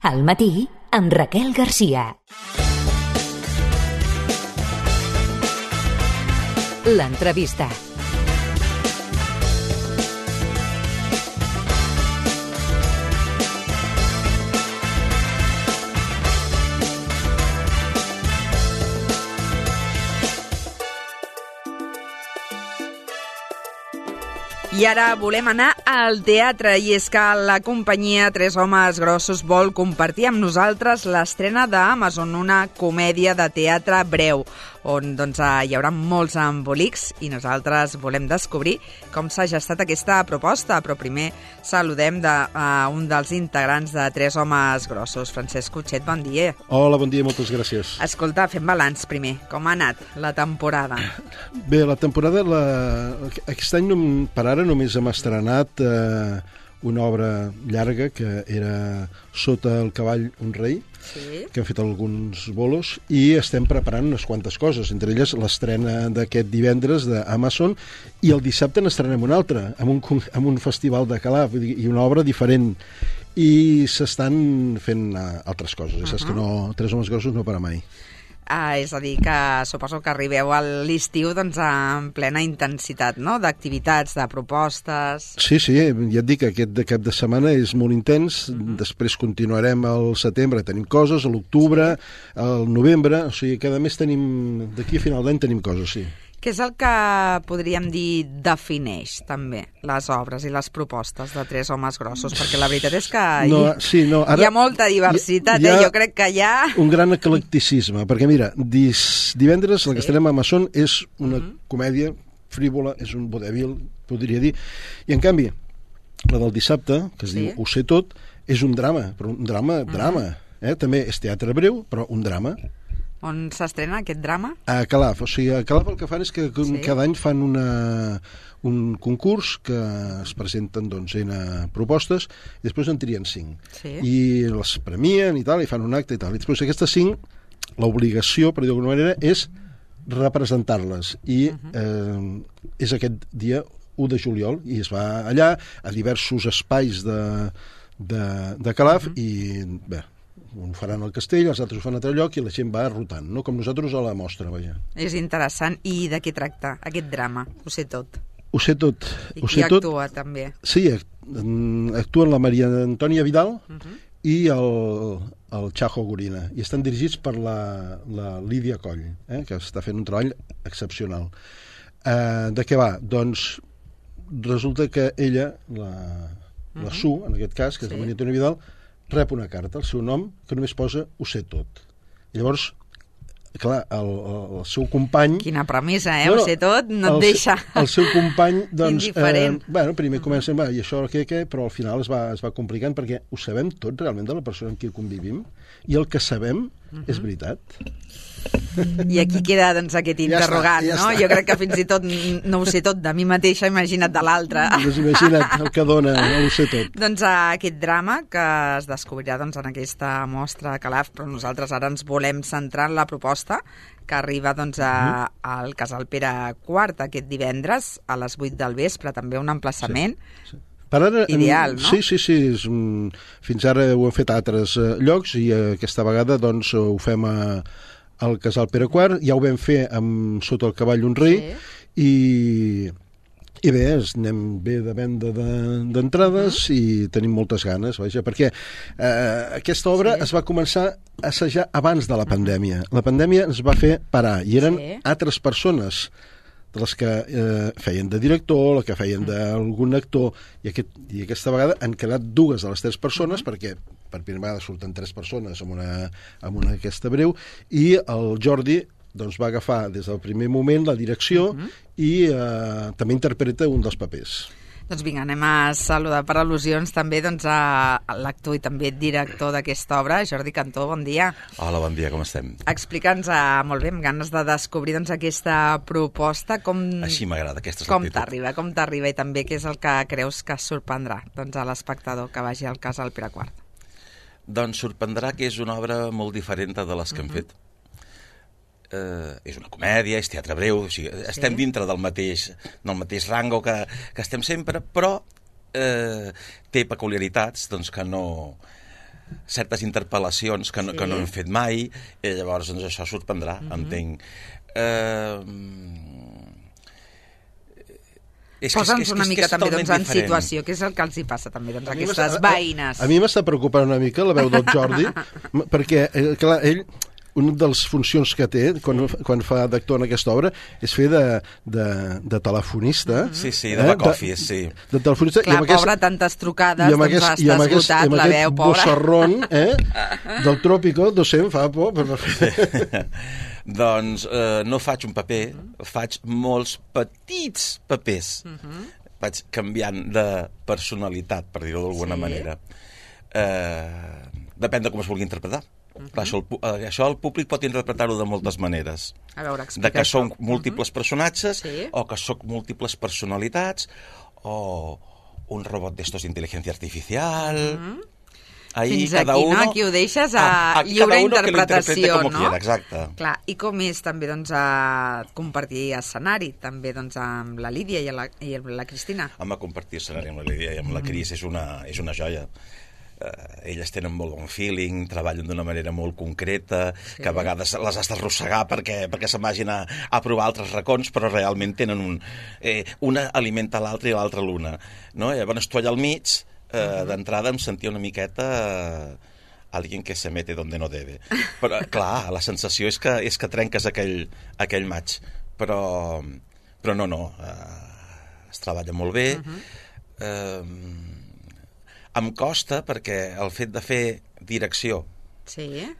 Al matí, amb Raquel Garcia. L'entrevista. I ara volem anar al teatre, i és que la companyia Tres Homes Grossos vol compartir amb nosaltres l'estrena d'Amazon, una comèdia de teatre breu, on hi haurà molts embolics i nosaltres volem descobrir com s'ha gestat aquesta proposta. Però primer saludem un dels integrants de Tres Homes Grossos, Francesc Cotxet, bon dia. Hola, bon dia, moltes gràcies. Escolta, fem balanç primer. Com ha anat la temporada? Bé, la temporada, aquest any per ara només hem estrenat una obra llarga que era Sota el cavall un rei, sí, que hem fet alguns bolos i estem preparant unes quantes coses, entre elles l'estrena d'aquest divendres d'Amazon, i el dissabte n'estrenem una altra, amb un festival de Calaf, i una obra diferent, i s'estan fent altres coses. Saps que no, Tres Homes Grossos no para mai. És a dir, que suposo que arribeu a l'estiu en plena intensitat, no?, d'activitats, de propostes... Sí, ja et dic que aquest cap de setmana és molt intens, després continuarem al setembre, tenim coses, a l'octubre, al novembre, o sigui, cada mes tenim, d'aquí a final d'any tenim coses, sí. Què és el que podríem dir defineix també les obres i les propostes de Tres Homes Grossos? Perquè la veritat és que hi ha molta diversitat, jo crec que hi ha... Un gran eclecticisme, perquè mira, divendres la que estarem a Amazon és una comèdia frívola, és un vodevil, podria dir, i en canvi la del dissabte, que es diu Ho sé tot, és un drama, però un drama, també és teatre breu, però un drama. On s'estrena aquest drama? A Calaf. O sigui, a Calaf el que fan és que cada any fan un concurs que es presenten propostes i després en trien 5. I les premien i tal, i fan un acte i tal. I després aquestes 5, l'obligació, per dir-ho d'alguna manera, és representar-les. I és aquest dia 1 de juliol, i es va allà a diversos espais de Calaf i bé, un faran al castell, els altres ho fan a altre lloc i la gent va rotant, no? Com nosaltres a la mostra, vaja. És interessant. I de què tracta aquest drama? Ho sé tot. Ho sé tot. I qui actua, també? Sí, actuen la Maria Antònia Vidal i el Chajo Gorina, i estan dirigits per la Lídia Coll, que està fent un treball excepcional. De què va? Doncs resulta que ella, la Su, en aquest cas, que és la Maria Antònia Vidal, rep una carta, el seu nom, que només posa Ho sé tot. I llavors, clar, el seu company... Quina premissa, Ho sé tot, no et deixa... El seu company, doncs... indiferent. Primer comencen, i això què, però al final es va complicant, perquè ho sabem tot realment de la persona amb qui convivim, i el que sabem és veritat. I aquí queda aquest interrogant, no? Jo crec que fins i tot no ho sé tot de mi mateixa, imagina't de l'altre. Doncs imagina't el que dona, no ho sé tot. Doncs aquest drama que es descobrirà en aquesta mostra a Calaf, però nosaltres ara ens volem centrar en la proposta que arriba al Casal Pere IV aquest divendres a les 8 del vespre, també un emplaçament ideal, no? Sí. Fins ara ho hem fet a altres llocs i aquesta vegada ho fem al Casal Pere IV, ja ho vam fer amb Sota el cavall un rei, i bé, anem bé de venda d'entrades i tenim moltes ganes, perquè aquesta obra es va començar a assajar abans de la pandèmia. La pandèmia ens va fer parar, i eren altres persones de les que feien de director, les que feien d'algun actor, i aquesta vegada han quedat 2 de les 3 persones, perquè per primera vegada surten 3 persones amb una aquesta breu, i el Jordi va agafar des del primer moment la direcció i també interpreta un dels papers. Doncs vinga, anem a saludar per al·lusions també a l'actor i també director d'aquesta obra, Jordi Cantó, bon dia. Hola, bon dia, com estem? Explica'ns molt bé, amb ganes de descobrir aquesta proposta, Així m'agrada, aquesta és l'actitud. Com t'arriba i també què és el que creus que sorprendrà a l'espectador que vagi al Casal Pere IV? Doncs sorprendrà que és una obra molt diferent de les que hem fet. És una comèdia, és teatre breu, o sigui, estem dintre del mateix rango que estem sempre, però té peculiaritats que no certes interpel·lacions que no hem fet mai, i llavors doncs, això sorprendrà, entenc. Posa'ns una mica també en situació, què és el que els hi passa també a aquestes veïnes? A mi m'està preocupant una mica la veu del Jordi, perquè, clar, ell... Una de les funcions que té quan fa d'actor en aquesta obra és fer de telefonista. Sí, de back office, sí. De telefonista. Clar, pobre, tantes trucades, doncs està esgotat, la veu, pobre. I amb aquest del Trópico, no sé, em fa por. Doncs no faig un paper, faig molts petits papers. Vaig canviant de personalitat, per dir-ho d'alguna manera. Depèn de com es vulgui interpretar. Clar, això el públic pot interpretar-ho de moltes maneres. A veure, de que són múltiples personatges, o que són múltiples personalitats, o un robot d'estos d'intel·ligència artificial... Fins aquí, no? Aquí ho deixes a lliure interpretació, no? Exacte. Clar, i com és també compartir escenari, també amb la Lídia i la Cristina? Home, compartir escenari amb la Lídia i amb la Cris és una joia. Elles tenen molt bon feeling, treballen d'una manera molt concreta, que a vegades les has d'arrossegar perquè se'n vagin a provar altres racons, però realment tenen una alimenta l'altra i l'altra l'una, no? Llavors tu allà al mig, d'entrada em sentia una miqueta alguien que se mete donde no debe, però clar, la sensació és que trenques aquell match, però no, es treballa molt bé. Em costa perquè el fet de fer direcció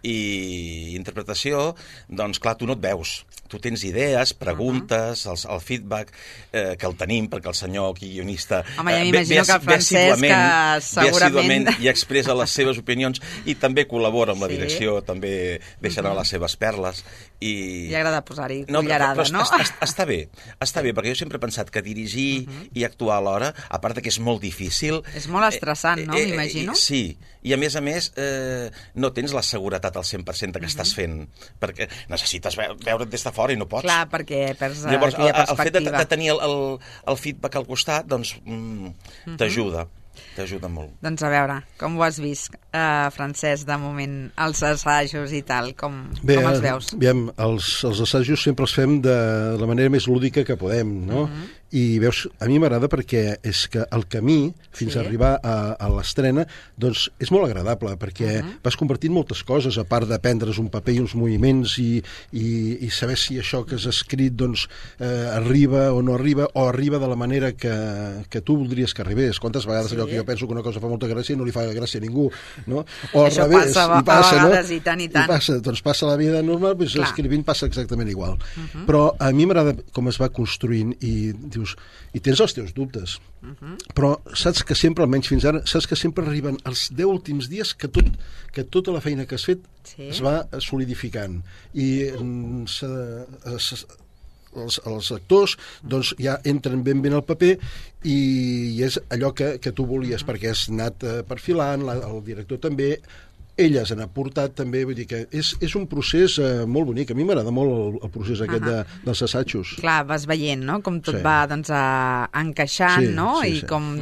i interpretació, doncs clar, tu no et veus. Tu tens idees, preguntes, el feedback, que el tenim, perquè el senyor guionista home, ja m'imagino que el Francesc segurament i expressa les seves opinions i també col·labora amb la direcció, també deixa anar les seves perles. Li agrada posar-hi cullerada, no? Està bé, perquè jo sempre he pensat que dirigir i actuar alhora, a part que és molt difícil... És molt estressant, no? M'imagino. Sí, i a més, no tens la seguretat al 100% que estàs fent, perquè necessites veure't des de fora i no pots. Clar, perquè perds aquella perspectiva. Llavors, el fet de tenir el feedback al costat, doncs, t'ajuda molt. Doncs a veure, com ho has vist, Francesc, de moment, els assajos i tal, com els veus? Bé, els assajos sempre els fem de la manera més lúdica que podem, no? I veus, a mi m'agrada perquè és que el camí fins a arribar a l'estrena doncs és molt agradable perquè vas compartint moltes coses, a part de prendre's un paper i uns moviments i saber si això que has escrit doncs arriba o no arriba, o arriba de la manera que tu voldries que arribés. Quantes vegades allò que jo penso que una cosa fa molta gràcia i no li fa gràcia a ningú, no? O al revés, passa a vegades, no? I tant. Doncs passa la vida normal, doncs escrivint passa exactament igual. Però a mi m'agrada com es va construint i dius, i tens els teus dubtes, però saps que sempre, almenys fins ara, saps que sempre arriben els 10 últims dies que tota la feina que has fet es va solidificant i els actors doncs ja entren ben al paper i és allò que tu volies perquè has anat perfilant, el director també, elles han aportat també, vull dir que és un procés molt bonic. A mi m'agrada molt el procés aquest dels assajos. Clar, vas veient, no?, com tot va encaixant, no?, i com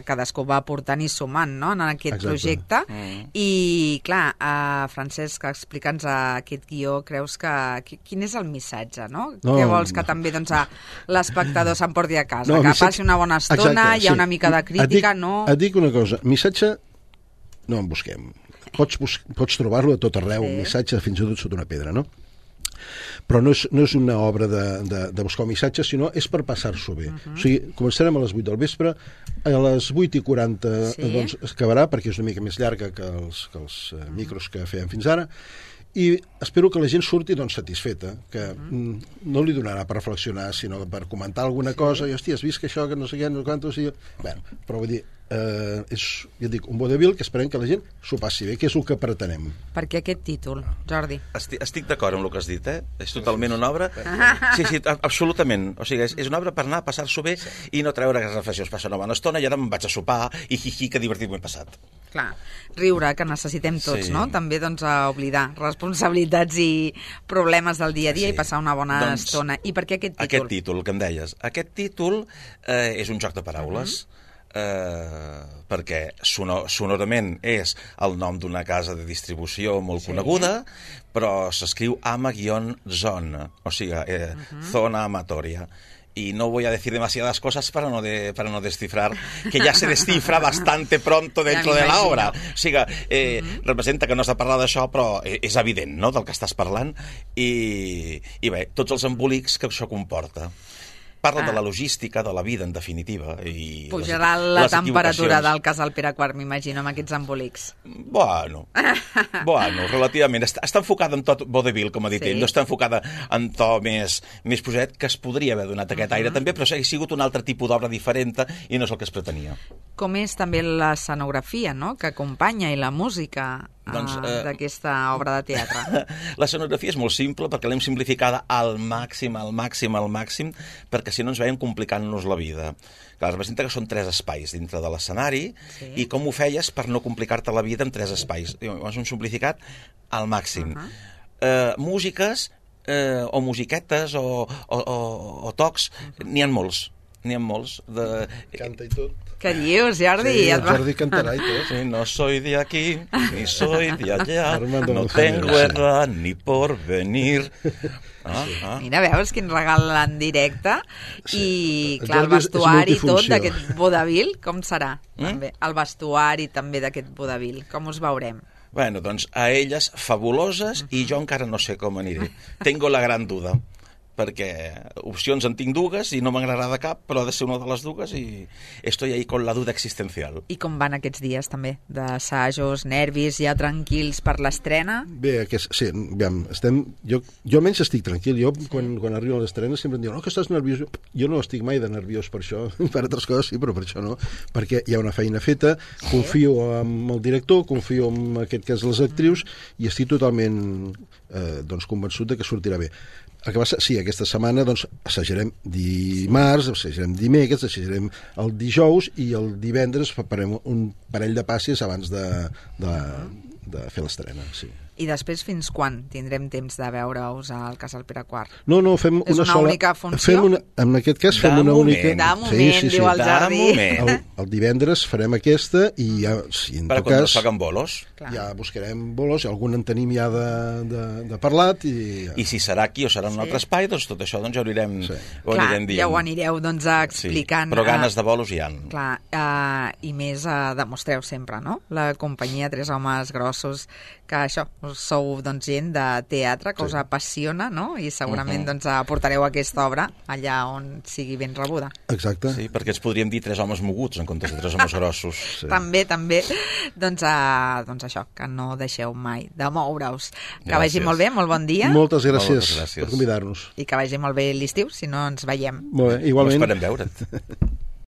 cadascú va aportant i sumant, no?, en aquest projecte. I, clar, Francesc, explica'ns aquest guió, creus que... Quin és el missatge, no? Què vols que també l'espectador s'emporti a casa? Que passi una bona estona, hi ha una mica de crítica, no? Et dic una cosa, missatge no en busquem. Pots trobar-lo a tot arreu, un missatge fins i tot sota una pedra, no? Però no és una obra de buscar un missatge, sinó és per passar-s'ho bé. O sigui, començarem a les 8 del vespre, a les 8:40 doncs acabarà, perquè és una mica més llarga que els micros que fèiem fins ara, i espero que la gent surti doncs satisfeta, que no li donarà per reflexionar, sinó per comentar alguna cosa, i hòstia, has vist que això, que no sé què, no sé quantos... Bueno, però vull dir, és, ja dic, un vodevil que esperem que la gent s'ho passi bé, que és el que pretenem. Per què aquest títol, Jordi? Estic d'acord amb el que has dit, És totalment una obra... Sí, absolutament. O sigui, és una obra per anar a passar-s'ho bé i no treure que reflexions. Passa una bona estona i ara me'n vaig a sopar i que divertit m'he passat. Clar, riure, que necessitem tots, no? També, doncs, a oblidar responsabilitats i problemes del dia a dia i passar una bona estona. I per què aquest títol? Aquest títol, que em deies. Aquest títol és un joc de paraules. perquè sonorament és el nom d'una casa de distribució molt coneguda, però s'escriu ama-zona, o sigui, zona amatoria. Y no voy a decir demasiadas cosas para no descifrar, que ya se descifra bastante pronto dentro de la obra. O sigui, representa que no s'ha parlat d'això, però és evident, no?, del que estàs parlant, i bé, tots els embolics que això comporta. Parla de la logística, de la vida, en definitiva. I pujarà la temperatura del casal Pere IV, m'imagino, amb aquests embolics. Bueno, relativament. Està enfocada en tot vodevil, com ha dit ell, no està enfocada en to més poset, que es podria haver donat aquest aire també, però ha sigut un altre tipus d'obra diferent i no és el que es pretenia. Com és també l'escenografia, no?, que acompanya, i la música d'aquesta obra de teatre. L'escenografia és molt simple perquè l'hem simplificada al màxim, perquè si no ens veiem complicant-nos la vida. Clar, representa que són 3 espais dintre de l'escenari, i com ho feies per no complicar-te la vida en 3 espais? Ho hem simplificat al màxim. Músiques o musiquetes o tocs, n'hi ha molts. Canta i tot. Què dius, Jordi? Sí, el Jordi cantarà i tot. Sí, no soy de aquí, ni soy de allá, no tengo edad ni por venir. Mira, veus quin regal en directe, i clar, el vestuari tot d'aquest vodevil, com serà? El vestuari també d'aquest vodevil, com us veurem? Bueno, doncs a elles fabuloses, i jo encara no sé com aniré. Tengo la gran duda, perquè opcions en tinc dues i no m'agradarà cap, però ha de ser una de les dues i estoy ahí con la duda existencial. I com van aquests dies també? D'assajos, nervis, ja tranquils per l'estrena? Bé, sí, jo almenys estic tranquil. Jo, quan arribo a l'estrena, sempre em diuen que estàs nerviós. Jo no estic mai de nerviós per això. Per altres coses sí, però per això no. Perquè hi ha una feina feta, confio en el director, confio en aquest cas les actrius, i estic totalment convençut de que sortirà bé. El que passa, sí, aquesta setmana assajarem dimarts, assajarem dimecres, assajarem el dijous, i el divendres farem un parell de passes abans de fer l'estrena, sí. I després fins quan tindrem temps de veure-us al casal Pere IV? No, fem una sola... És una única funció? En aquest cas fem una única... De moment, diu el Jordi. El divendres farem aquesta, i ja, si en tot cas... Per quan es fan bolos? Ja buscarem bolos, algun en tenim ja de parlat. I si serà aquí o serà en un altre espai, doncs tot això ja ho anirem dient. Ja ho anireu explicant. Però ganes de bolos hi ha. Clar, i més demostreu sempre, no?, la companyia Tres Homes Grossos, que això, sou gent de teatre, que us apassiona, no?, i segurament aportareu aquesta obra allà on sigui ben rebuda. Exacte. Sí, perquè ens podríem dir 3 homes moguts en comptes de 3 homes grossos. Sí. També. Doncs això, que no deixeu mai de moure-us. Que vagi molt bé, molt bon dia. Moltes gràcies per convidar-nos. I que vagi molt bé l'estiu, si no ens veiem. Molt bé, igualment. No esperem veure't.